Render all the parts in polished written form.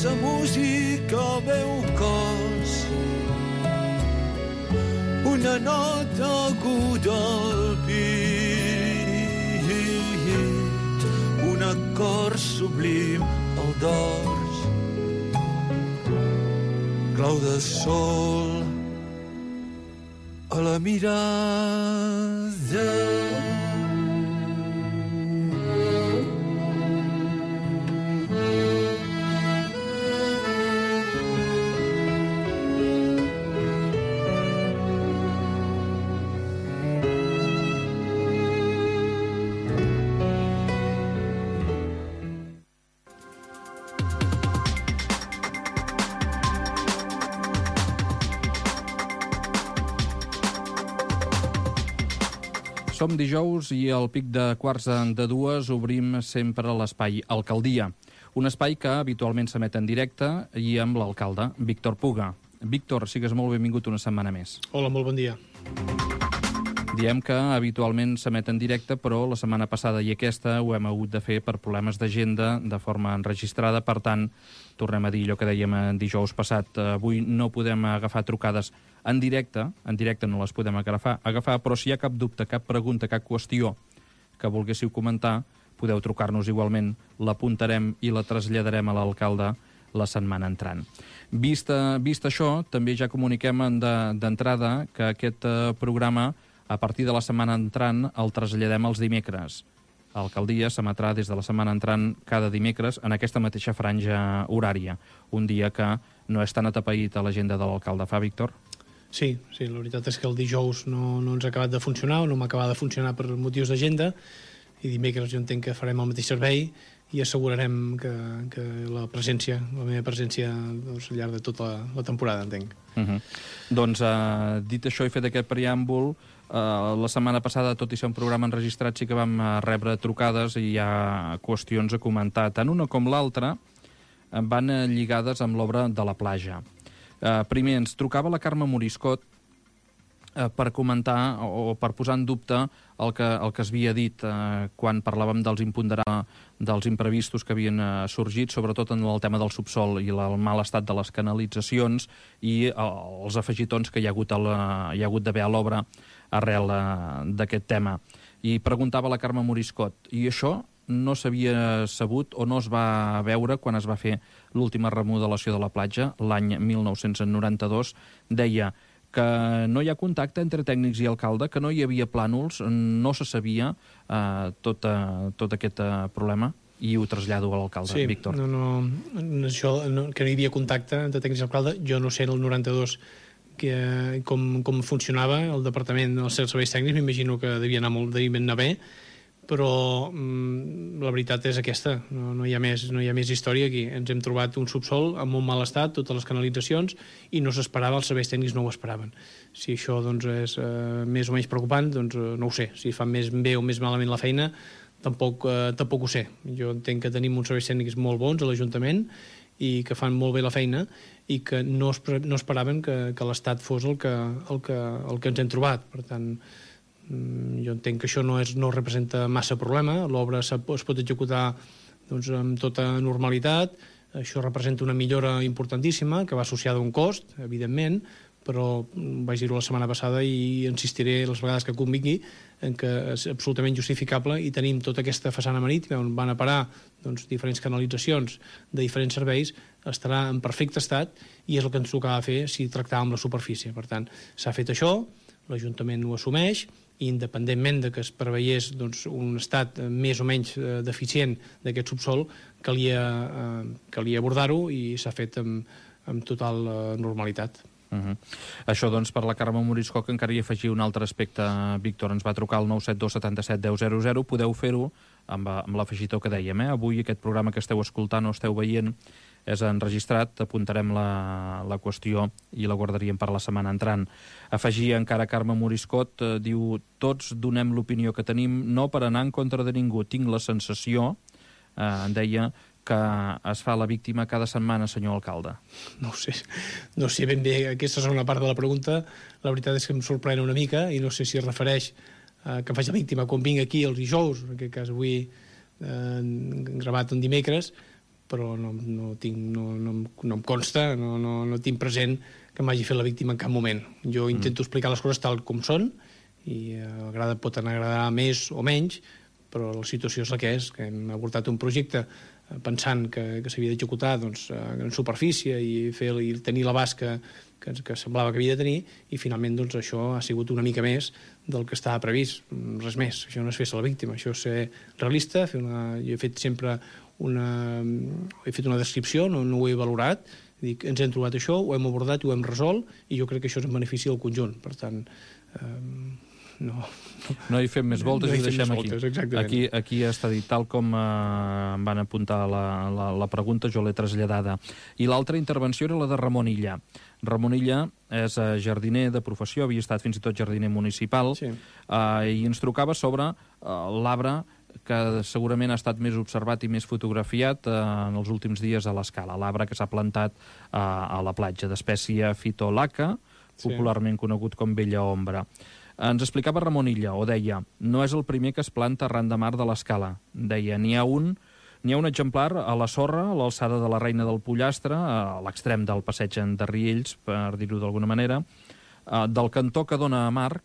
sa música al meu cos, una nota aguda al pit, un acord sublim al dors, clau de sol a la mirada. Som dijous i al pic de quarts de dues obrim sempre l'espai Alcaldia, un espai que habitualment s'emet en directe i amb l'alcalde, Víctor Puga. Víctor, sigues molt benvingut una setmana més. Hola, molt bon dia. Diem que habitualment s'emet en directe, però la setmana passada i aquesta ho hem hagut de fer per problemes d'agenda de forma enregistrada. Per tant, tornem a dir allò que dèiem dijous passat. Avui no podem agafar trucades en directe no les podem agafar, però si hi ha cap dubte, cap pregunta, cap qüestió que volguéssiu comentar, podeu trucar-nos igualment, l'apuntarem i la traslladarem a l'alcalde la setmana entrant. Vist això, també ja comuniquem d'entrada que aquest programa, a partir de la setmana entrant, el traslladem els dimecres. L'alcaldia s'emetrà des de la setmana entrant cada dimecres en aquesta mateixa franja horària, un dia que no és tan atapeït a l'agenda de l'alcalde. Fa, Víctor? Sí, la veritat és que el dijous no ens ha acabat de funcionar, o no m'ha acabat de funcionar per motius d'agenda, i dimecres jo entenc que farem el mateix servei i assegurarem que la meva presència doncs, al llarg de tota la temporada, entenc. Doncs, dit això i fet aquest preàmbul, la setmana passada, tot i ser un programa enregistrat, sí que vam rebre trucades i hi ha qüestions a comentar. Tant una com l'altra van lligades amb l'obra de la platja. Primer, ens trucava la Carme Moriscot per comentar o per posar en dubte el que es havia dit quan parlàvem dels imprevistos que havien sorgit, sobretot en el tema del subsol i el mal estat de les canalitzacions i els afegitons que hi ha hagut d'haver a l'obra arrel d'aquest tema. I preguntava la Carme Moriscot, i això no s'havia sabut o no es va veure quan es va fer l'última remodelació de la platja, l'any 1992, deia que no hi ha contacte entre tècnics i alcalde, que no hi havia plànols, no se sabia tot aquest problema, i ho trasllado a l'alcalde, sí, Víctor. Això, que no hi havia contacte entre tècnics i alcalde, jo no sé en el 92 com funcionava el departament dels serveis tècnics, m'imagino que devia anar bé, però la veritat és aquesta, no hi ha més història aquí. Ens hem trobat un subsol en molt mal estat, totes les canalitzacions, i no s'esperava, els serveis tècnics no ho esperaven. Si això doncs, és més o menys preocupant, doncs no ho sé. Si fan més bé o més malament la feina, tampoc ho sé. Jo entenc que tenim uns serveis tècnics molt bons a l'Ajuntament i que fan molt bé la feina i que no esperaven que l'estat fos el que ens hem trobat. Per tant, jo entenc que això no representa massa problema, l'obra es pot executar doncs, amb tota normalitat, això representa una millora importantíssima que va associada a un cost, evidentment, però vaig dir-ho la setmana passada i insistiré les vegades que convingui en que és absolutament justificable i tenim tota aquesta façana marítima on van a parar doncs, diferents canalitzacions de diferents serveis, estarà en perfecte estat i és el que ens tocava fer si tractàvem la superfície. Per tant, s'ha fet això, l'Ajuntament ho assumeix, i independentment de que es preveiés doncs, un estat més o menys deficient d'aquest subsol, calia abordar-ho i s'ha fet amb total normalitat. Això, doncs, per la Carme Moriscot, que encara hi afegia un altre aspecte. Víctor, ens va trucar al 972 77 10 00. Podeu fer-ho amb l'afegitó que dèiem. Avui aquest programa que esteu escoltant o esteu veient és enregistrat, apuntarem la qüestió i la guardaríem per la setmana entrant. Afegia encara Carme Moriscot, diu, tots donem l'opinió que tenim, no per anar en contra de ningú. Tinc la sensació, deia, que es fa la víctima cada setmana, senyor alcalde. No sé ben bé, aquesta segona part de la pregunta, la veritat és que em sorprèn una mica i no sé si es refereix que em faig la víctima quan vinc aquí els dijous, en aquest cas avui gravat un dimecres, però no em consta, no tinc present que m'hagi fet la víctima en cap moment. Jo intento explicar les coses tal com són, i pot agradar més o menys, però la situació és la que és, que hem abordat un projecte pensant que s'havia d'executar en superfície i tenir l'abast que semblava que havia de tenir, i finalment això ha sigut una mica més del que estava previst, res més. Això no és fer-se la víctima, això és ser realista. Jo he fet sempre una descripció, no ho he valorat, dic, ens hem trobat això, ho hem abordat i ho hem resolt, i jo crec que això és en benefici del conjunt. Per tant, no hi fem més voltes, i ho deixem aquí. Aquí està dit, tal com em van apuntar la pregunta, jo l'he traslladada. I l'altra intervenció era la de Ramon Illa. Ramon Illa és jardiner de professió, havia estat fins i tot jardiner municipal, i ens trucava sobre l'arbre que segurament ha estat més observat i més fotografiat en els últims dies a l'Escala, l'arbre que s'ha plantat a la platja, d'espècie Phytolacca, popularment conegut com vella ombra. Ens explicava Ramon Illa, o deia, no és el primer que es planta arran de mar de l'Escala. Deia, n'hi ha un exemplar a la sorra, a l'alçada de la Reina del Pollastre, a l'extrem del passeig de Riells, per dir-ho d'alguna manera, del cantó que dona a mar,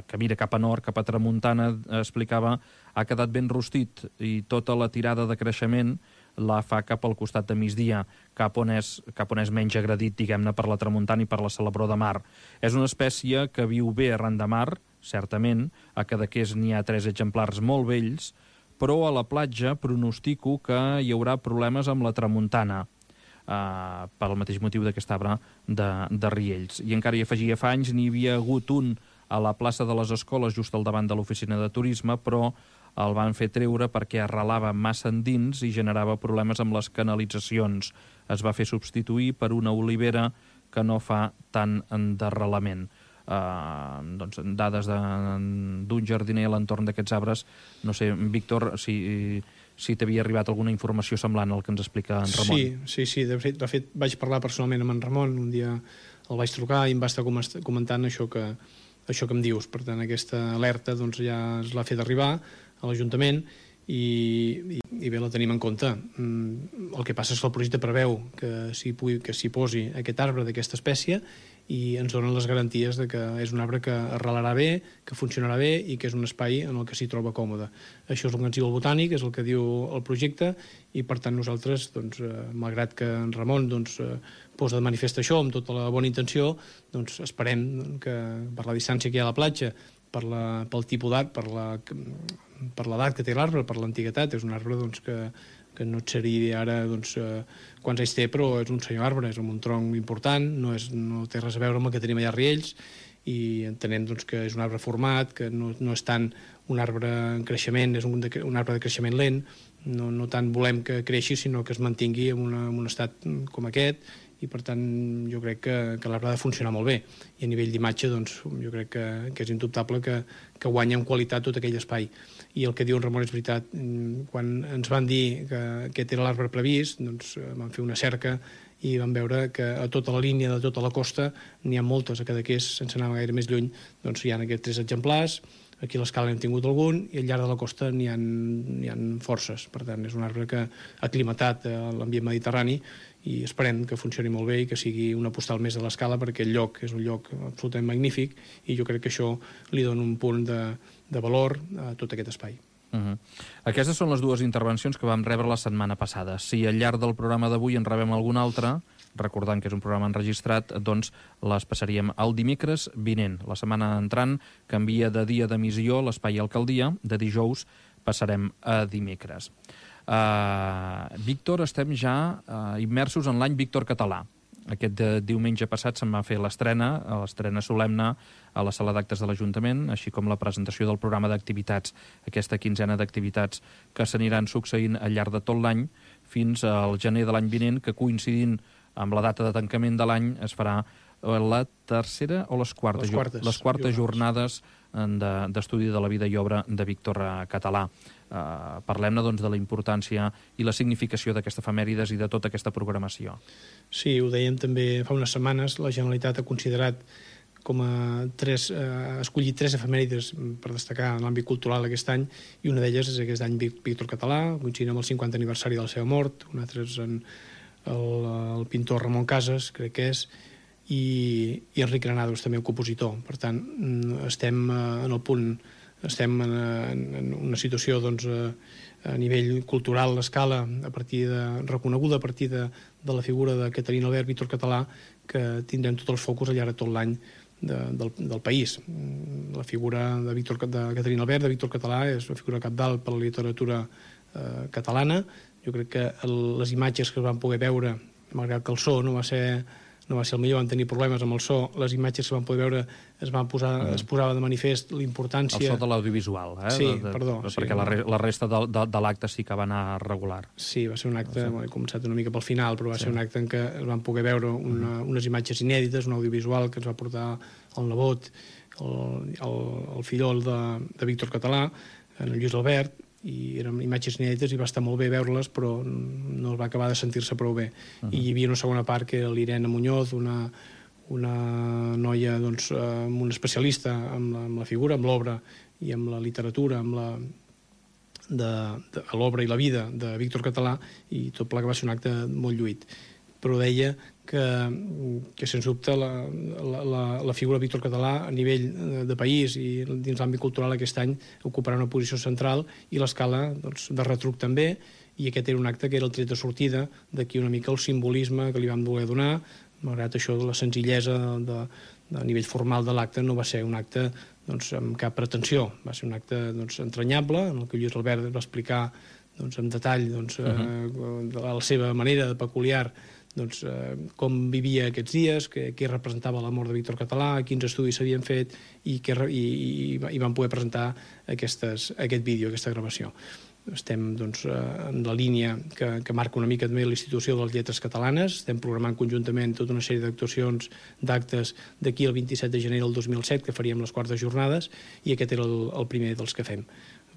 que mira cap a nord, cap a tramuntana, explicava, ha quedat ben rostit, i tota la tirada de creixement la fa cap al costat de migdia, cap on és menys agredit, diguem-ne, per la tramuntana i per la Celebró de mar. És una espècie que viu bé arran de mar, certament, a Cadaqués n'hi ha 3 exemplars molt vells, però a la platja pronostico que hi haurà problemes amb la tramuntana, pel mateix motiu d'aquest arbre de Riells. I encara hi afegia, fa anys n'hi havia hagut un a la plaça de les Escoles, just al davant de l'oficina de turisme, però el van fer treure perquè arrelava massa endins i generava problemes amb les canalitzacions. Es va fer substituir per una olivera que no fa tant d'arrelament. Dades d'un jardiner a l'entorn d'aquests arbres. No sé, Víctor, si t'havia arribat alguna informació semblant al que ens explica en Ramon. Sí. De fet, vaig parlar personalment amb en Ramon. Un dia el vaig trucar i em va estar comentant això que em dius. Per tant, aquesta alerta ja es l'ha fet arribar a l'Ajuntament i bé, la tenim en compte. El que passa és que el projecte preveu que s'hi posi aquest arbre d'aquesta espècie i ens donen les garanties de que és un arbre que arrelarà bé, que funcionarà bé i que és un espai en el que s'hi troba còmode. Això és el que ens diu el Botànic, és el que diu el projecte, i per tant nosaltres, malgrat que en Ramon posa de manifest això amb tota la bona intenció, esperem que per la distància que hi ha a la platja, pel tipus d'art, per l'edat que té l'arbre, per l'antiguitat, és un arbre que no et seria ara quants anys té, però és un senyor arbre, és un tronc important, no té res a veure amb el que tenim allà a Riells, i entenem que és un arbre format, que no és tant un arbre en creixement, és un arbre de creixement lent, no tant volem que creixi, sinó que es mantingui en un estat com aquest, i per tant jo crec que l'arbre ha de funcionar molt bé, i a nivell d'imatge jo crec que és indubtable que guanya en qualitat tot aquell espai. I el que diu en Ramon és veritat. Quan ens van dir que aquest era l'arbre previst, vam fer una cerca i vam veure que a tota la línia de tota la costa n'hi ha moltes, a Cadaqués, sense anar gaire més lluny, hi ha aquests 3 exemplars, aquí a l'Escala n'hem tingut algun, i al llarg de la costa n'hi ha forces. Per tant, és un arbre que ha aclimatat a l'ambient mediterrani, i esperem que funcioni molt bé i que sigui una postal més de l'Escala, perquè el lloc és un lloc absolutament magnífic, i jo crec que això li dona un punt de valor a tot aquest espai. Aquestes són les 2 intervencions que vam rebre la setmana passada. Si al llarg del programa d'avui en rebem alguna altra, recordant que és un programa enregistrat, doncs les passaríem el dimecres vinent. La setmana entrant canvia de dia d'emissió l'Espai Alcaldia, de dijous passarem a dimecres. Víctor, estem ja immersos en l'any Víctor Català. Aquest diumenge passat se'n va fer l'estrena solemne a la sala d'actes de l'Ajuntament, així com la presentació del programa d'activitats, aquesta quinzena d'activitats que s'aniran succeint al llarg de tot l'any fins al gener de l'any vinent, que coincidint amb la data de tancament de l'any es farà la tercera o les quartes jornades d'estudi de la vida i obra de Víctor Català. Parlem-ne, doncs, de la importància i la significació d'aquesta efemèrides i de tota aquesta programació. Sí, ho dèiem també fa unes setmanes, la Generalitat ha considerat escollit 3 efemèrides per destacar en l'àmbit cultural aquest any, i una d'elles és aquest any Víctor Català, coincidint amb el 50 aniversari de la seva mort. Un altre és el pintor Ramon Casas, crec que és, i Enric Granados, també un compositor. Per tant, estem en el punt, estem en una situació doncs, a nivell cultural, l'escala reconeguda a partir de la figura de Caterina Albert, Víctor Català, que tindrem tots els focus al llarg de tot l'any del país. La figura de Caterina Albert, de Víctor Català, és una figura cabdal per la literatura catalana. Jo crec que les imatges que es van poder veure, malgrat que el so no va ser el millor, van tenir problemes amb el so, les imatges que van poder veure es posava de manifest l'importància... El so de l'audiovisual, Sí, perdó. Perquè la resta de l'acte sí que va anar regular. Sí, va ser un acte, he començat una mica pel final, però va ser un acte en què es van poder veure unes imatges inèdites, un audiovisual que ens va portar el nebot, el fillol de Víctor Català, en Lluís Albert, i eren imatges inèdites i va estar molt bé veure-les, però no va acabar de sentir-se prou bé. I hi havia una segona part que era l'Irene Muñoz, una noia doncs, un especialista amb la figura, amb l'obra i amb la literatura, amb l'obra i la vida de Víctor Català, i tot plegat va ser un acte molt lluït. Però deia que sens dubte la figura de Víctor Català a nivell de país i dins l'àmbit cultural aquest any ocuparà una posició central, i l'escala doncs, de retruc també, i aquest era un acte que era el tret de sortida d'aquí una mica el simbolisme que li vam voler donar. Malgrat això, la senzillesa a nivell formal de l'acte no va ser un acte doncs, amb cap pretensió, va ser un acte doncs, entranyable, en el que Lluís Albert va explicar doncs, en detall doncs, de la seva manera peculiar doncs, com vivia aquests dies, què representava la mort de Víctor Català, quins estudis s'havien fet, i van poder presentar aquest vídeo, aquesta gravació. Estem doncs, en la línia que marca una mica també l'Institució de les Lletres Catalanes. Estem programant conjuntament tota una sèrie d'actuacions, d'actes, d'aquí al 27 de gener del 2007, que faríem les quartes jornades, i aquest era el primer dels que fem.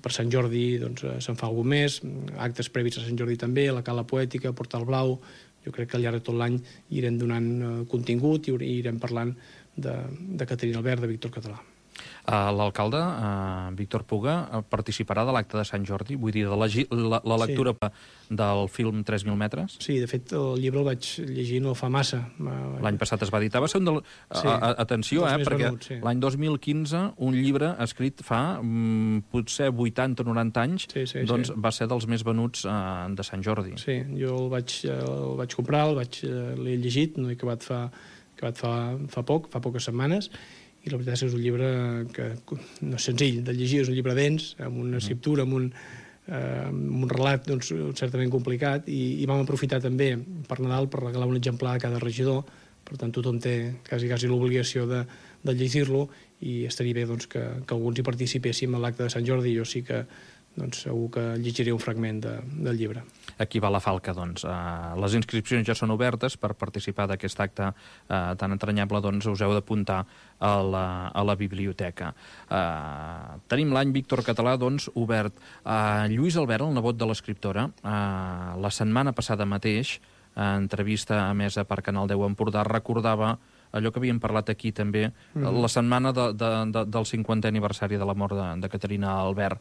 Per Sant Jordi doncs, se'n fa algun més, actes previs a Sant Jordi també, la Cala Poètica, Portal Blau. Jo crec que al llarg de tot l'any irem donant contingut i irem parlant de Caterina Albert, de Víctor Català. L'alcalde, Víctor Puga, participarà de l'acte de Sant Jordi? Vull dir, de la lectura del film 3.000 metres? Sí, de fet, el llibre el vaig llegir no fa massa. L'any passat es va editar. Va ser un atenció, perquè l'any 2015 un llibre escrit fa potser 80 o 90 anys doncs va ser dels més venuts de Sant Jordi. Sí, jo el vaig comprar, l'he llegit, no he acabat fa poques setmanes, i la veritat és que és un llibre que no és senzill de llegir, és un llibre dens, amb una escriptura, amb un relat doncs, certament complicat, i vam aprofitar també per Nadal per regalar un exemplar a cada regidor. Per tant, tothom té quasi l'obligació de llegir-lo, i estaria bé doncs, que alguns hi participéssim a l'acte de Sant Jordi. Jo sí que doncs, segur que llegiré un fragment del llibre. Aquí va la falca, doncs. Les inscripcions ja són obertes per participar d'aquest acte tan entranyable, doncs us heu d'apuntar a la biblioteca. Tenim l'any Víctor Català, doncs, obert. Lluís Albert, el nebot de l'escriptora, la setmana passada mateix, en entrevista emesa per Canal 10 Empordà, recordava allò que havíem parlat aquí també, la setmana del 50è aniversari de la mort de Caterina Albert,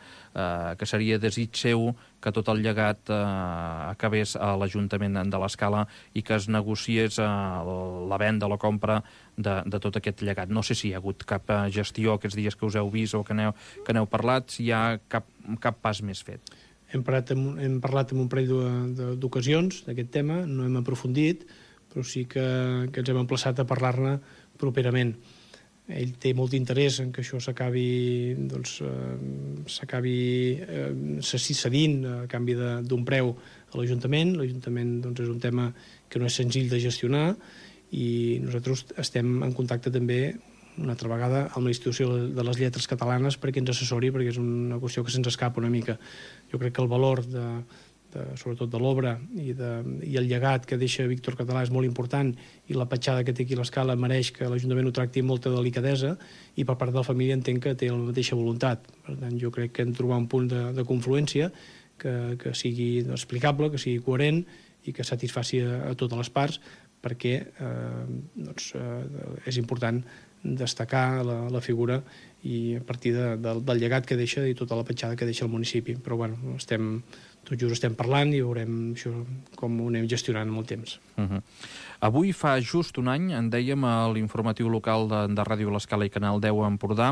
que seria desig seu que tot el llegat acabés a l'Ajuntament de l'Escala i que es negociés la venda o la compra de tot aquest llegat. No sé si hi ha hagut cap gestió aquests dies que us heu vist o que n'heu parlat, si hi ha cap pas més fet. Hem parlat en un parell d'ocasions d'aquest tema, no hem aprofundit, però sí que ens hem emplaçat a parlar-ne properament. Ell té molt d'interès en que això s'acabi cedint a canvi d'un preu a l'Ajuntament. L'Ajuntament és un tema que no és senzill de gestionar, i nosaltres estem en contacte també una altra vegada amb la Institució de les Lletres Catalanes perquè ens assessori, perquè és una qüestió que se'ns escapa una mica. Jo crec que el valor sobretot de l'obra i el llegat que deixa Víctor Català és molt important, i la petjada que té aquí a l'Escala mereix que l'Ajuntament ho tracti amb molta delicadesa, i per part de la família entenc que té la mateixa voluntat. Per tant, jo crec que hem de trobar un punt de confluència que sigui explicable, que sigui coherent i que satisfaci a totes les parts, perquè és important destacar la figura i a partir del llegat que deixa i tota la petjada que deixa el municipi. Però bueno, tot just estem parlant i veurem això com ho anem gestionant amb el temps. Avui fa just un any, en dèiem a l'informatiu local de Ràdio L'Escala i Canal 10 a Empordà,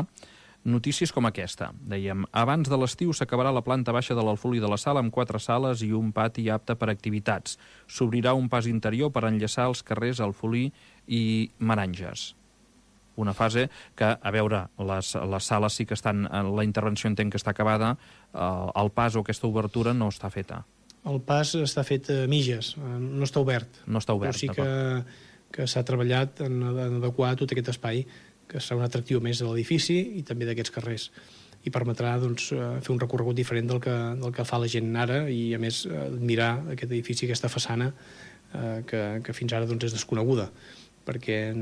notícies com aquesta. Dèiem, abans de l'estiu s'acabarà la planta baixa de l'Alfolí de la Sala amb 4 sales i un pati apte per activitats. S'obrirà un pas interior per enllaçar els carrers Alfolí i Meranges. Una fase que, a veure, les sales sí que estan... La intervenció entenc que està acabada, el pas o aquesta obertura no està feta. El pas està fet a mitges, no està obert. No està obert, però sí que s'ha treballat en adequar tot aquest espai, que serà un atractiu més de l'edifici i també d'aquests carrers. I permetrà fer un recorregut diferent del que fa la gent ara i, a més, admirar aquest edifici, aquesta façana que fins ara és desconeguda, perquè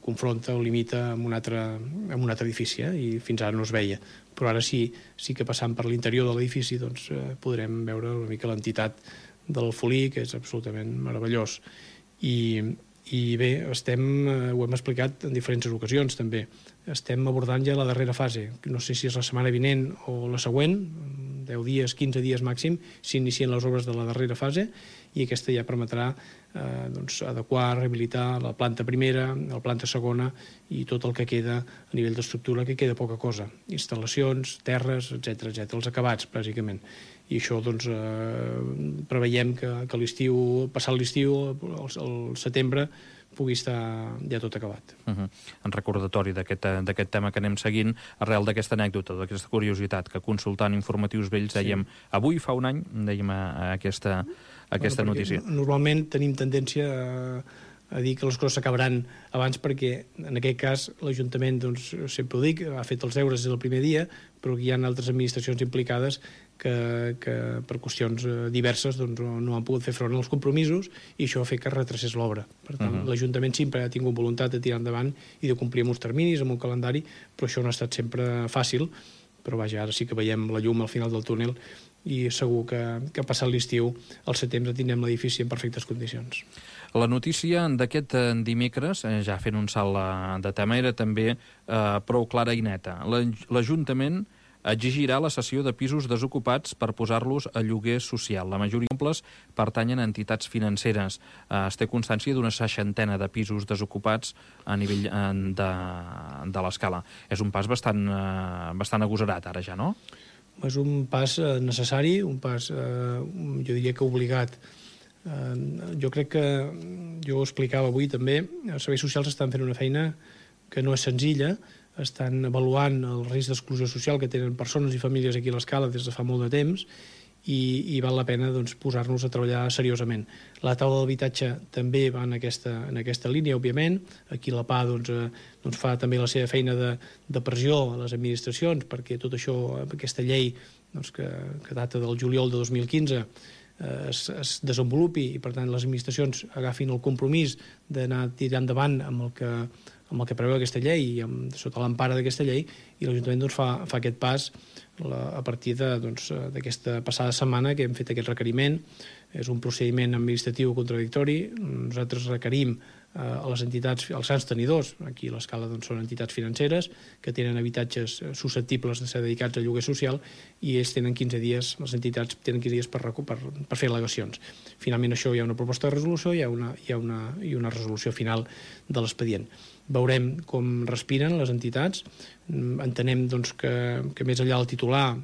confronta o limita amb un altre edifici, i fins ara no es veia. Però ara sí que passant per l'interior de l'edifici podrem veure una mica l'entitat de l'Alfolí, que és absolutament meravellós. I bé, ho hem explicat en diferents ocasions també, estem abordant ja la darrera fase. No sé si és la setmana vinent o la següent, 10 dies, 15 dies màxim, s'inicien les obres de la darrera fase i aquesta ja permetrà adequar, rehabilitar la planta primera, la planta segona i tot el que queda a nivell d'estructura, que queda poca cosa. Instal·lacions, terres, etc, els acabats, bàsicament. I això preveiem que l'estiu, passat l'estiu, el setembre, pugui estar ja tot acabat. En recordatori d'aquest tema que anem seguint, arrel d'aquesta anècdota, d'aquesta curiositat, que consultant informatius vells dèiem, avui fa un any, dèiem aquesta notícia. Normalment tenim tendència a dir que les coses s'acabaran abans perquè, en aquest cas, l'Ajuntament, sempre ho dic, ha fet els deures des del primer dia, però hi ha altres administracions implicades que per qüestions diverses no han pogut fer front als compromisos i això ha fet que es retracés l'obra. Per tant, l'Ajuntament sempre ha tingut voluntat de tirar endavant i de complir amb uns terminis, amb un calendari, però això no ha estat sempre fàcil. Però vaja, ara sí que veiem la llum al final del túnel i segur que passat l'estiu, al setembre, tindrem l'edifici en perfectes condicions. La notícia d'aquest dimecres, ja fent un salt de tema, era també prou clara i neta. L'Ajuntament exigirà la cessió de pisos desocupats per posar-los a lloguer social. La majoria d'exemples pertanyen a entitats financeres. Es té constància d'una 60ena de pisos desocupats a nivell de l'escala. És un pas bastant agosarat ara ja, no? És un pas necessari, un pas, jo diria que obligat. Jo crec que, jo ho explicava avui també, els serveis socials estan fent una feina que no és senzilla, estan avaluant el risc d'exclusió social que tenen persones i famílies aquí a l'Escala des de fa molt de temps i val la pena posar-nos a treballar seriosament. La taula d'habitatge també va en aquesta línia, òbviament. Aquí la PA fa també la seva feina de pressió a les administracions perquè tot això, aquesta llei que data del juliol de 2015, es desenvolupi i, per tant, les administracions agafin el compromís d'anar tirant endavant amb el que preveu aquesta llei i sota l'empara d'aquesta llei, i l'Ajuntament fa aquest pas a partir d'aquesta passada setmana que hem fet aquest requeriment. És un procediment administratiu contradictori. Nosaltres requerim a les entitats, als grans tenidors, aquí a l'Escala són entitats financeres que tenen habitatges susceptibles de ser dedicats a lloguer social i ells tenen 15 dies, les entitats tenen 15 dies per fer al·legacions. Finalment això hi ha una proposta de resolució i hi ha una resolució final de l'expedient. Veurem com respiren les entitats. Entenem que més enllà del titular,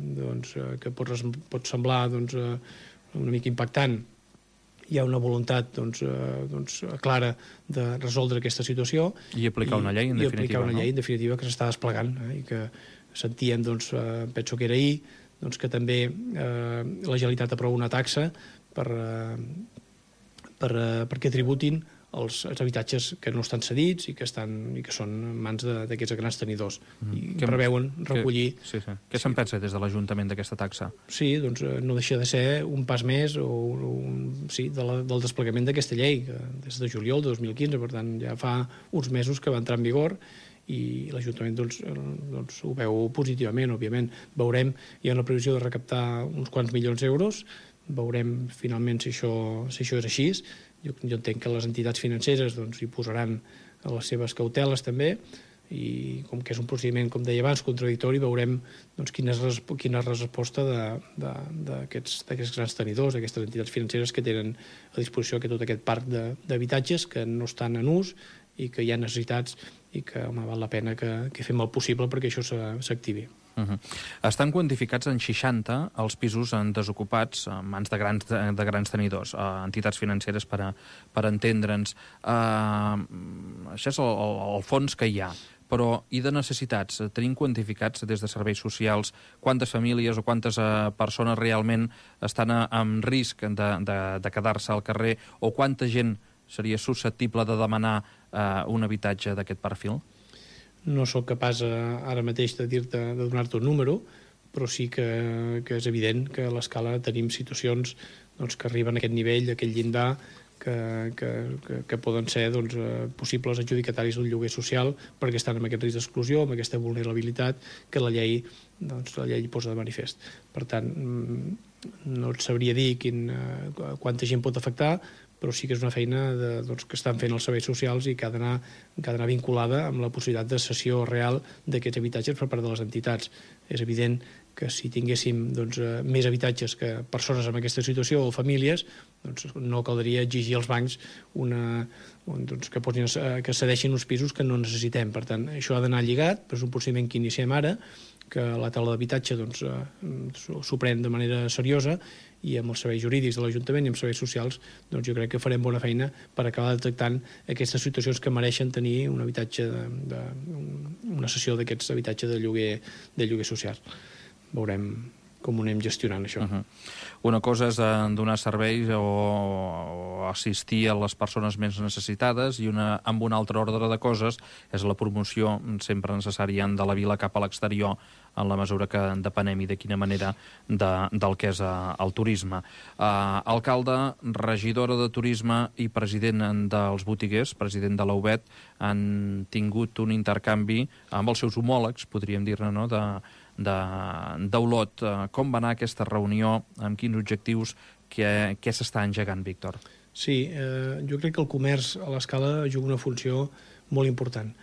que pot semblar una mica impactant, hi ha una voluntat clara de resoldre aquesta situació i aplicar una llei, en definitiva. I aplicar una llei, en definitiva, que s'està desplegant i que sentíem, penso que era ahir, que també la Generalitat aprova una taxa perquè tributin els habitatges que no estan cedits i que són en mans d'aquests grans tenidors i preveuen recollir... Què se'n pensa des de l'Ajuntament d'aquesta taxa? Sí, no deixa de ser un pas més del desplegament d'aquesta llei, des de juliol de 2015, per tant ja fa uns mesos que va entrar en vigor i l'Ajuntament ho veu positivament, òbviament. Veurem, hi ha una previsió de recaptar uns quants milions d'euros, veurem finalment si això és així. Jo entenc que les entitats financeres hi posaran les seves cauteles també i com que és un procediment, com deia abans, contradictori, veurem doncs, quina és la resposta d'aquests grans tenidors, d'aquestes entitats financeres que tenen a disposició tot aquest parc d'habitatges que no estan en ús i que hi ha necessitats i que val la pena que fem el possible perquè això s'activi. Estan quantificats en 60 els pisos desocupats en mans de grans tenidors, entitats financeres per entendre'ns. Això és el fons que hi ha. Però i de necessitats? Tenim quantificats des de serveis socials quantes famílies o quantes persones realment estan en risc de quedar-se al carrer o quanta gent seria susceptible de demanar un habitatge d'aquest perfil? No sóc capaç ara mateix de donar-te un número, però sí que és evident que a l'escala tenim situacions que arriben a aquest nivell, a aquest llindar, que poden ser possibles adjudicataris d'un lloguer social perquè estan amb aquest risc d'exclusió, amb aquesta vulnerabilitat que la llei posa de manifest. Per tant, no et sabria dir quanta gent pot afectar, però sí que és una feina que estan fent els serveis socials i que ha d'anar vinculada amb la possibilitat de cessió real d'aquests habitatges per part de les entitats. És evident que si tinguéssim més habitatges que persones en aquesta situació o famílies, no caldria exigir als bancs que cedeixin uns pisos que no necessitem. Per tant, això ha d'anar lligat, però és un procediment que iniciem ara, que la taula d'habitatge s'ho pren de manera seriosa i amb els serveis jurídics de l'Ajuntament i amb serveis socials jo crec que farem bona feina per acabar detectant aquestes situacions que mereixen tenir un habitatge, una cessió d'aquests habitatges de lloguer social. Veurem com ho anem gestionant, això. Una cosa és donar serveis o assistir a les persones més necessitades i amb un altre ordre de coses és la promoció sempre necessària de la vila cap a l'exterior en la mesura que depenem i de quina manera del que és el turisme. Alcalde, regidora de turisme i president dels botiguers, president de la UBET, han tingut un intercanvi amb els seus homòlegs, podríem dir-ne, no?, d'Olot. Com va anar aquesta reunió? Amb quins objectius? Què s'està engegant, Víctor? Sí, jo crec que el comerç a l'escala juga una funció molt important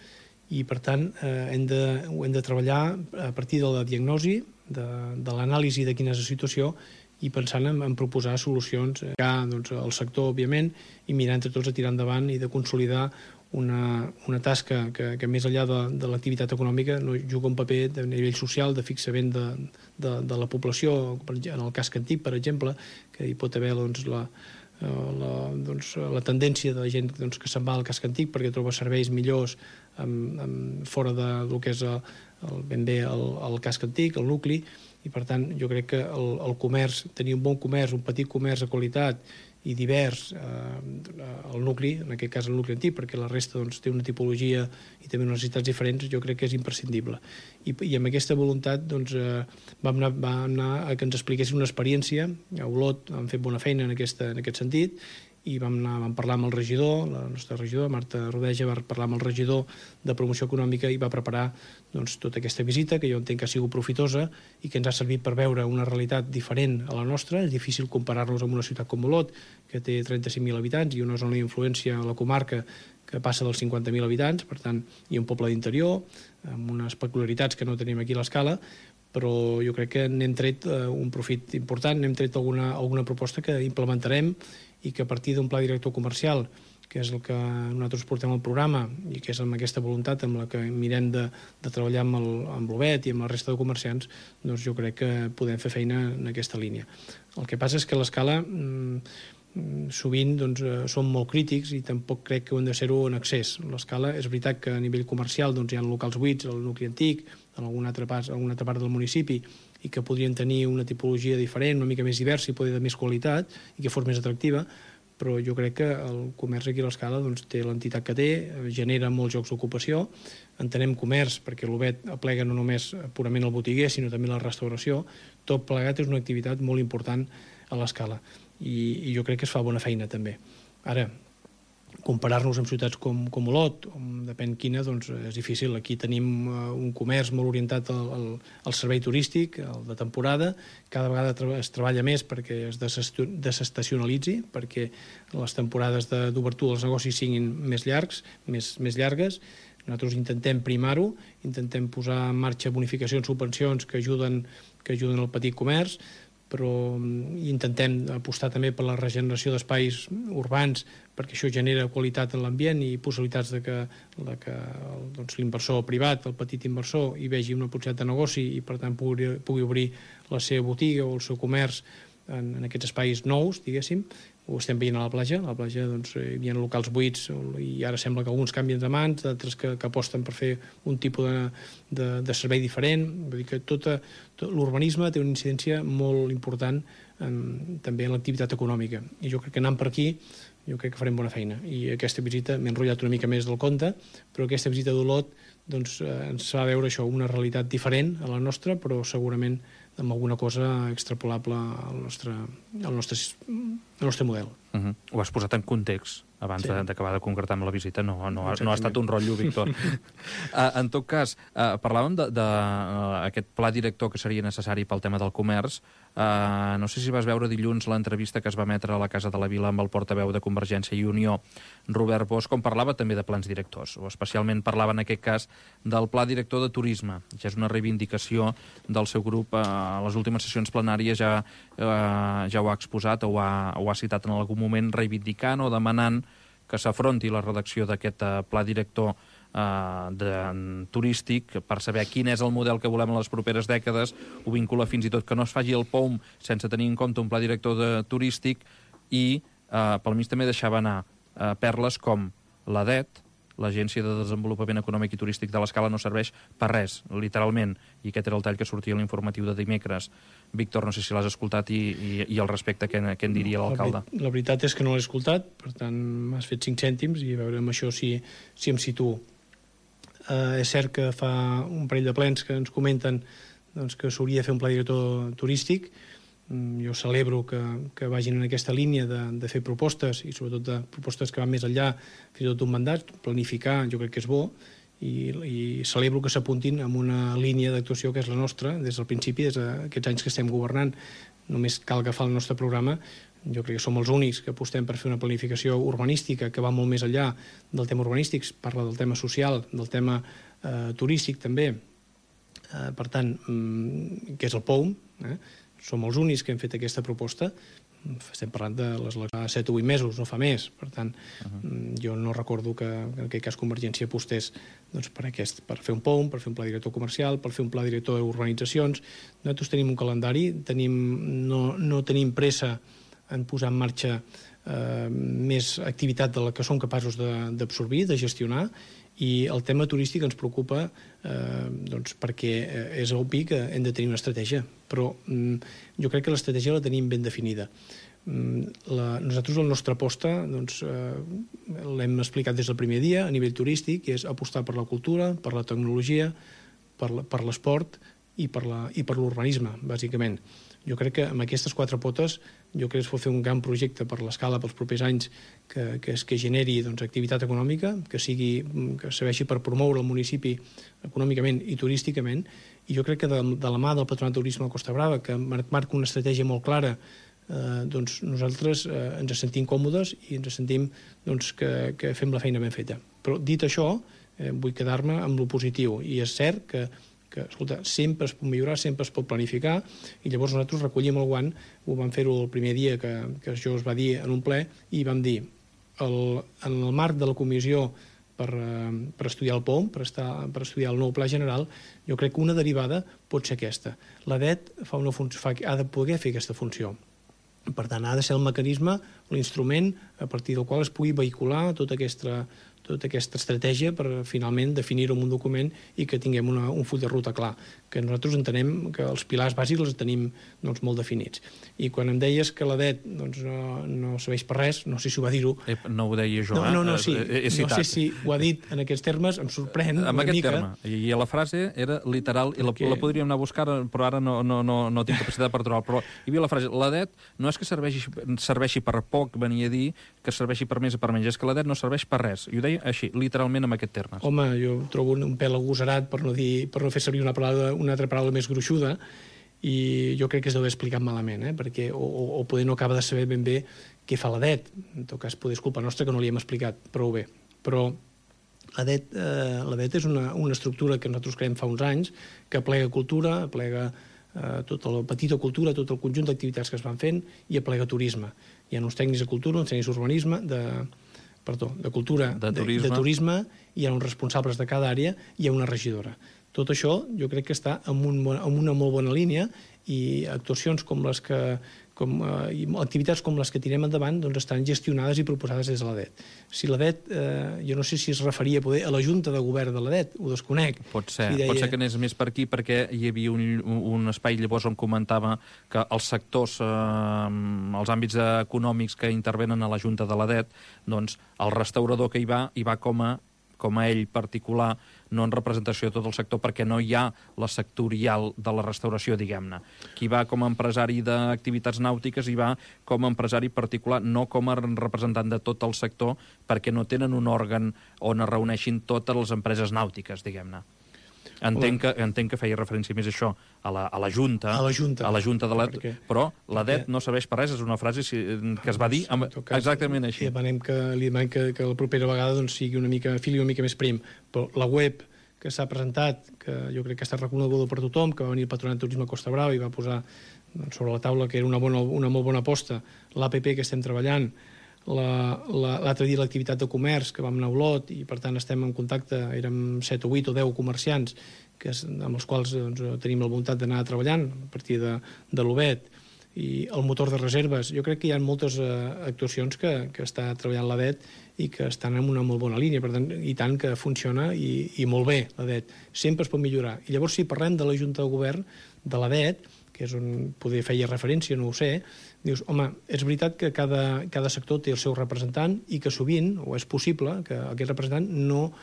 i, per tant, ho hem de treballar a partir de la diagnosi, de l'anàlisi de quina és la situació i pensant en proposar solucions al sector, òbviament, i mirar entre tots a tirar endavant i de consolidar una tasca que més enllà de l'activitat econòmica juga un paper de nivell social, de fixament de la població, en el casc antic, per exemple, que hi pot haver la tendència de la gent que se'n va al casc antic perquè troba serveis millors fora del que és ben bé el casc antic, el nucli, i per tant jo crec que el comerç, tenir un bon comerç, un petit comerç de qualitat i divers al nucli, en aquest cas el nucli antic, perquè la resta té una tipologia i també unes necessitats diferents, jo crec que és imprescindible. I amb aquesta voluntat vam anar a que ens expliquessin una experiència. A Olot han fet bona feina en aquest sentit, i vam parlar amb el regidor, la nostra regidora, Marta Rodeja, va parlar amb el regidor de promoció econòmica i va preparar tota aquesta visita, que jo entenc que ha sigut profitosa i que ens ha servit per veure una realitat diferent a la nostra. És difícil comparar-nos amb una ciutat com Olot, que té 35.000 habitants, i una zona d'influència a la comarca que passa dels 50.000 habitants, per tant, hi ha un poble d'interior, amb unes peculiaritats que no tenim aquí a l'escala, però jo crec que n'hem tret un profit important, n'hem tret alguna proposta que implementarem i que a partir d'un pla director comercial, que és el que nosaltres portem al programa i que és amb aquesta voluntat amb la que mirem de treballar amb l'UBET i amb la resta de comerciants, jo crec que podem fer feina en aquesta línia. El que passa és que a l'escala sovint som molt crítics i tampoc crec que ho hem de ser-ho en excés. A l'escala és veritat que a nivell comercial hi ha locals buits al nucli antic, en alguna altra part del municipi, i que podrien tenir una tipologia diferent, una mica més diversa i poder de més qualitat i que fos més atractiva, però jo crec que el comerç aquí a l'escala té l'entitat que té, genera molts llocs d'ocupació, entenem comerç perquè l'UBET aplega no només purament el botiguer, sinó també la restauració. Tot plegat és una activitat molt important a l'escala i jo crec que es fa bona feina també. Ara, comparar-nos amb ciutats com Olot, depèn quina, és difícil. Aquí tenim un comerç molt orientat al servei turístic, el de temporada. Cada vegada es treballa més perquè es desestacionalitzi, perquè les temporades d'obertura dels negocis siguin més llargues. Nosaltres intentem primar-ho, intentem posar en marxa bonificacions, subvencions que ajuden al petit comerç, però intentem apostar també per la regeneració d'espais urbans perquè això genera qualitat en l'ambient i possibilitats de que l'inversor privat, el petit inversor, hi vegi una possibilitat de negoci i per tant pugui obrir la seva botiga o el seu comerç en aquests espais nous, diguéssim. Ho estem veient a la platja. A la platja hi havia locals buits i ara sembla que alguns canvien de mans, d'altres que aposten per fer un tipus de servei diferent. Vull dir que tot l'urbanisme té una incidència molt important també en l'activitat econòmica. I jo crec que anant per aquí jo crec que farem bona feina. I aquesta visita, m'he enrotllat una mica més del compte, però aquesta visita d'Olot ens fa veure això, una realitat diferent a la nostra, però segurament amb alguna cosa extrapolable al nostre model. Ho has posat en context abans d'acabar de concretar amb la visita. No ha estat un rotllo, Víctor. En tot cas, parlàvem d'aquest pla director que seria necessari pel tema del comerç. No sé si vas veure dilluns l'entrevista que es va emetre a la Casa de la Vila amb el portaveu de Convergència i Unió, Robert Bosch, on parlava també de plans directors, o especialment parlava en aquest cas del pla director de turisme, que és una reivindicació del seu grup. A les últimes sessions plenàries ja ho ha exposat o ho ha citat en algun moment, reivindicant o demanant que s'afronti la redacció d'aquest pla director turístic per saber quin és el model que volem en les properes dècades. Ho vincula fins i tot que no es faci el POUM sense tenir en compte un pla director turístic i pel mig també deixava anar perles com l'ADET, l'Agència de Desenvolupament Econòmic i Turístic de l'Escala, no serveix per res, literalment, i aquest era el tall que sortia a l'informatiu de dimecres. Víctor, no sé si l'has escoltat i al respecte què en diria l'alcalde. La veritat és que no l'he escoltat, per tant m'has fet 5 cèntims i a veure amb això si em situo. És cert que fa un parell de plens que ens comenten que s'hauria de fer un pla director turístic. Jo celebro que vagin en aquesta línia de fer propostes i sobretot de propostes que van més enllà fins i tot d'un mandat. Planificar jo crec que és bo i celebro que s'apuntin en una línia d'actuació que és la nostra des del principi, des d'aquests anys que estem governant. Només cal agafar el nostre programa. Jo crec que som els únics que apostem per fer una planificació urbanística que va molt més enllà del tema urbanístic, parla del tema social, del tema turístic també. Per tant, que és el POUM, som els únics que hem fet aquesta proposta. Estem parlant de les 7 o 8 mesos, no fa més. Per tant, jo no recordo que en aquest cas Convergència apostés per fer un POUM, per fer un pla director comercial, per fer un pla director d'urbanitzacions. Nosaltres tenim un calendari, no tenim pressa en posar en marxa més activitat de la que som capaços d'absorbir, de gestionar, i el tema turístic ens preocupa perquè és obvi que hem de tenir una estratègia, però jo crec que l'estratègia la tenim ben definida. Nosaltres la nostra aposta l'hem explicat des del primer dia a nivell turístic, que és apostar per la cultura, per la tecnologia, per l'esport i per l'urbanisme, bàsicament. Jo crec que amb aquestes 4 potes es pot fer un gran projecte per l'Escala pels propers anys que generi activitat econòmica, que serveixi per promoure el municipi econòmicament i turísticament, i jo crec que de la mà del Patronat de Turisme de Costa Brava, que marca una estratègia molt clara, nosaltres ens sentim còmodes i ens sentim que fem la feina ben feta. Però dit això, vull quedar-me amb lo positiu, i és cert que escolta, sempre es pot millorar, sempre es pot planificar, i llavors nosaltres recollim el guant. Ho vam fer-ho el primer dia que això es va dir en un ple, i vam dir, en el marc de la comissió per estudiar el POUM, per estudiar el nou pla general, jo crec que una derivada pot ser aquesta. L'ADET ha de poder fer aquesta funció. Per tant, ha de ser el mecanisme, l'instrument a partir del qual es pugui vehicular tota aquesta estratègia per finalment definir-ho en un document i que tinguem un full de ruta clar, que nosaltres entenem que els pilars bàsics els tenim molt definits. I quan em deies que l'ADET no serveix per res, no sé si ho va dir-ho. No ho deia jo, No sé si ho ha dit en aquests termes, em sorprèn una mica. En aquest terme, i la frase era literal, i la podríem anar a buscar, però ara no tinc capacitat per trobar, però hi havia la frase, l'ADET no és que serveixi per poc, venia a dir que serveixi per més o per menys, és que l'ADET no serveix per res. I ho deia així, literalment amb aquest terme. Home, jo trobo un pèl agosarat per no fer servir una altra paraula més gruixuda, i jo crec que es deu haver explicat malament, perquè o poder no acaba de saber ben bé què fa l'ADET. En tot cas, poder és culpa nostra que no li hem explicat prou bé. Però La DET és una estructura que nosaltres creem fa uns anys, que aplega cultura, aplega tota la petita cultura, tot el conjunt d'activitats que es van fent, i aplega turisme. Hi ha uns tècnics de cultura, uns tècnics d'urbanisme, de cultura, de turisme, hi ha uns responsables de cada àrea, i hi ha una regidora. Tot això jo crec que està en una molt bona línia, i actuacions com les que i activitats com les que tirem endavant doncs estan gestionades i proposades des de la DET. Si la DET, jo no sé si es referia a la Junta de Govern de la DET, ho desconec. Pot ser que anés més per aquí, perquè hi havia un espai llavors on comentava que els sectors, els àmbits econòmics que intervenen a la Junta de la DET, doncs el restaurador que hi va com a ell particular, no en representació de tot el sector, perquè no hi ha la sectorial de la restauració, diguem-ne. Qui va com a empresari d'activitats nàutiques hi va com a empresari particular, no com a representant de tot el sector, perquè no tenen un òrgan on es reuneixin totes les empreses nàutiques, diguem-ne. Entenc que feia referència més a això, a la Junta. A la Junta de la DET, però la DET no serveix per res, és una frase que es va dir exactament així. Li demanem que la propera vegada fili una mica més prim. Però la web que s'ha presentat, que jo crec que ha estat reconeguda per tothom, que va venir el Patronat de Turisme Costa Brava i va posar sobre la taula que era una molt bona aposta, l'APP que estem treballant, l'altre dia l'activitat de comerç, que vam anar a Olot, i per tant estem en contacte, érem 7 o 8 o 10 comerciants amb els quals tenim la voluntat d'anar treballant a partir de l'OBET, i el motor de reserves. Jo crec que hi ha moltes actuacions que està treballant la DET i que estan en una molt bona línia, per tant, i tant que funciona i molt bé la DET. Sempre es pot millorar. I llavors, si parlem de la Junta de Govern de la DET, que és on poder feia referència, no ho sé, dius, home, és veritat que cada sector té el seu representant i que sovint, o és possible, que aquest representant no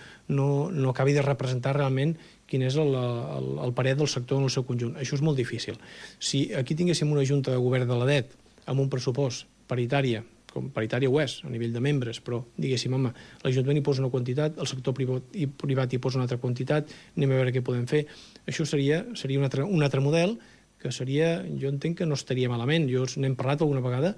acabi de representar realment quin és el parer del sector en el seu conjunt. Això és molt difícil. Si aquí tinguéssim una Junta de Govern de la DET amb un pressupost paritària, com paritària ho és, a nivell de membres, però diguéssim, home, l'Ajuntament hi posa una quantitat, el sector privat hi posa una altra quantitat, anem a veure què podem fer. Això seria un altre model que seria, jo entenc que no estaria malament. N'hem parlat alguna vegada,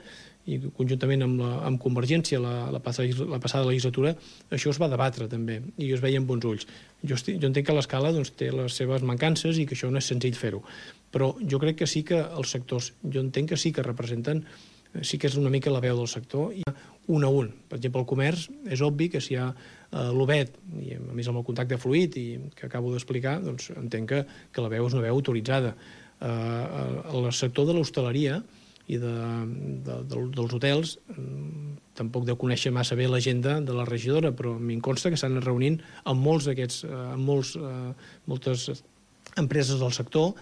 i conjuntament amb Convergència la passada legislatura, això es va debatre també, i es veia amb bons ulls. Jo entenc que l'escala té les seves mancances i que això no és senzill fer-ho, però jo crec que sí que els sectors, jo entenc que sí que representen, sí que és una mica la veu del sector, i un a un. Per exemple, el comerç, és obvi que si hi ha l'OBET, i a més amb el contacte fluid i que acabo d'explicar, doncs entenc que la veu és una veu autoritzada. El sector de l'hostaleria i dels hotels tampoc deu conèixer massa bé l'agenda de la regidora, però m'hi consta que s'han reunint amb moltes empreses del sector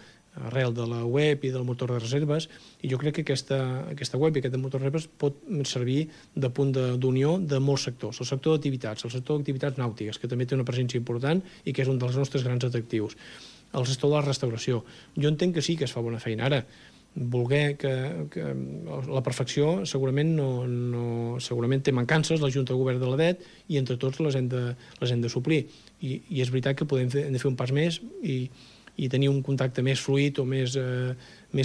arrel de la web i del motor de reserves, i jo crec que aquesta web i aquest motor de reserves pot servir de punt d'unió de molts sectors. El sector d'activitats, el sector d'activitats nàutiques, que també té una presència important i que és un dels nostres grans atractius. El sector de la restauració. Jo entenc que sí que es fa bona feina. Ara, voler que la perfecció segurament segurament té mancances, la Junta de Govern de la DET, i entre tots les hem de suplir. I és veritat que hem de fer un pas més i tenir un contacte més fluid o més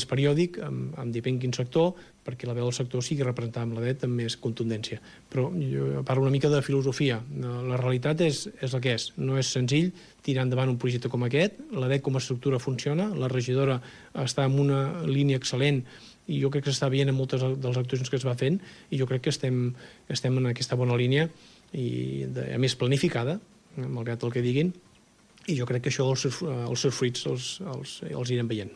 periòdic amb depèn quin sector, perquè la veu del sector sigui representada amb la DET amb més contundència. Però jo parlo una mica de filosofia. La realitat és el que és. No és senzill tirar endavant un projecte com aquest. La DET com a estructura funciona, la regidora està en una línia excel·lent i jo crec que s'està veient en moltes de les actuacions que es va fent, i jo crec que estem en aquesta bona línia, i a més planificada, malgrat el que diguin, i jo crec que això els seus fruits els irem veient.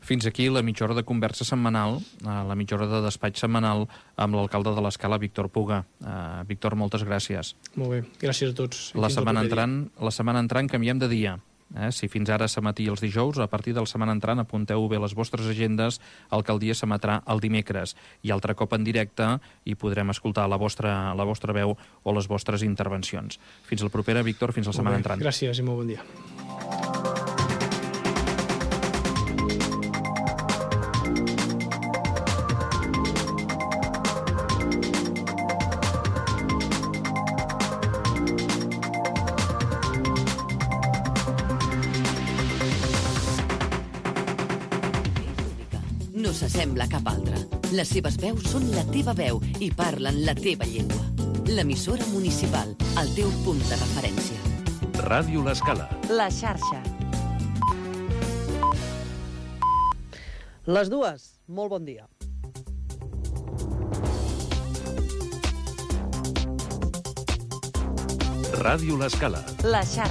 Fins aquí la mitja hora de conversa setmanal, la mitja hora de despatx setmanal amb l'alcalde de l'Escala, Víctor Puga. Víctor, moltes gràcies. Molt bé, gràcies a tots. La setmana entrant canviem de dia. Si fins ara s'emetia els dijous, a partir de la setmana entrant apunteu bé les vostres agendes, Alcaldia s'emetrà el dimecres, i altre cop en directe i podrem escoltar la vostra veu o les vostres intervencions. Fins la propera, Víctor, fins la setmana entrant. Gràcies i molt bon dia. No s'assembla a cap altra. Les seves veus són la teva veu i parlen la teva llengua. L'emissora municipal, el teu punt de referència. Ràdio L'Escala. La xarxa. Les dues, molt bon dia. Ràdio L'Escala. La xarxa.